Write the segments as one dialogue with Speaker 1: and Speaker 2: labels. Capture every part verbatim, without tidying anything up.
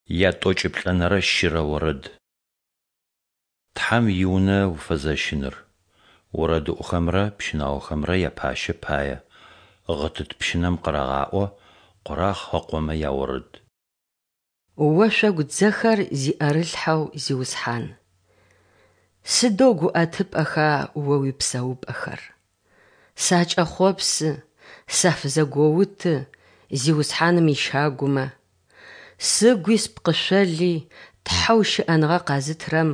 Speaker 1: Ятӏокӏиплӏэнэрэ щырэ орэд. Тхьэм и Унэ уфэзэщыныр. Орэдыӏохэмрэ пщынаохэмрэ япащэ пае. Гъытыт пщынэм къырагъаӏо. Къорахъ ыкъомэ яорэд.
Speaker 2: Ошъогу дзэхэр зиӏэрылъхьэу Зиусхьан, сыдэу гуӏэтыпӏэха О уипсэупӏэхэр! Сакӏэхъопсы, сафызэгоуты Зиусхьаным ищагумэ. Сыгуи спкъышъоли Тхьэу щыӏэныгъэ къэзытырэм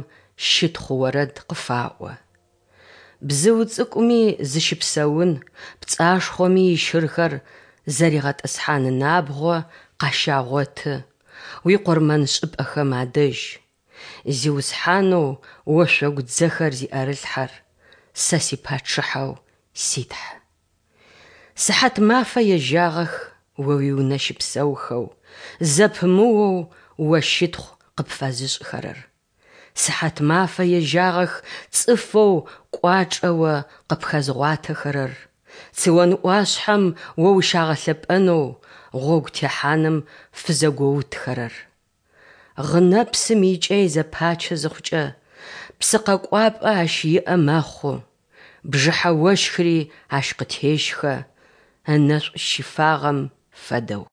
Speaker 2: щытхъу орэд къыфаӏо. Бзыу цӏыкӏуми зыщыпсэун, пцӏашхъоми ищырхэр зэригъэтӏысхьан набгъо къащагъоты уикъурмэншӏыпӏэхэм адэжь, Зиусхьанэу ошъогу дзэхэр зиӏэрылъхьэр, сэ си Пачъыхьэу си Тхьэ. Сыхьатмафэ ежьагъэх О уиунэ щыпсэухэу, зэпымыоу О щытхъу къыпфэзышӏыхэрэр. Сыхьатмафэ ежьагъэх цӏыфэу кӏуачӏэ О къыпхэзгъуатэхэрэр, Цион ӏуашъхьэм О ущагъэлъэпӏэнэу гъогу техьаным фызэгоутхэрэр. Гъынэпсым икӏэй зэпачы зыхъукӏэ, псыкъэкӏуапӏэ ащ иӏэ мэхъу, бжыхьэ ощхыри ащ къытещхэ, ынэшӏу щифагъэм фэдэу.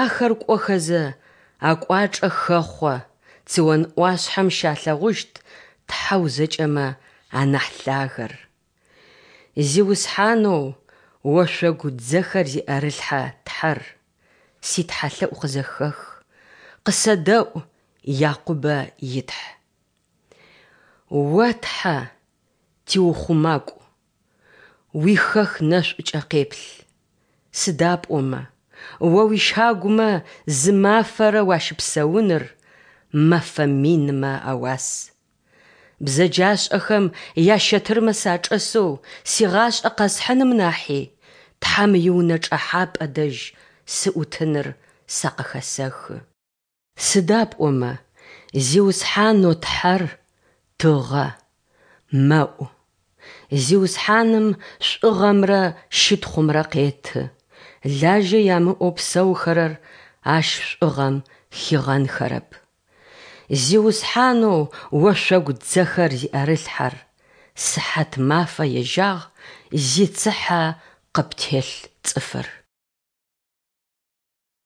Speaker 2: Ахэр кӏохэзэ, акӏуачӏэ хэхъо, Цион ӏуашъхьэм щалъэгъущт Тхьэу зэкӏэмэ анахь Лъагэр. Зиусхьанэу ошъогу дзэхэр зиӏэрылъхьэ Тхьэр, ситхьалъэӏу къызэхэх, къысэдэӏу, Якъубэ и Тхь. О Тхьэ, тиухъумакӏу, уихэх нэшӏукӏэ къеплъ, сыда пӏомэ О уищагумэ зы мафэрэ уащыпсэуныр мэфэ минмэ ауас. Бзэджашӏэхэм ящэтырмэ сачӏэсэу сигъашӏэ къэсхьыным нахьи, Тхьэм иунэ чӏэхьапӏэ дэжь сыӏутыныр сэ къыхэсэхы. Сыда пӏомэ Зиусхьанэу Тхьэр – тыгъэ, мэӏу. Зиусхьаным шӏугъэмрэ щытхъумрэ къеты, лажьэ ямыӏэу псэухэрэр Ащ шӏугъэм хигъэнхэрэп. Зиусхьанэу ошъогу дзэхэр зиӏэрылъхьэр, сыхьатмафэ ежьагъ зицыхьэ къыптелъ цӏыфыр.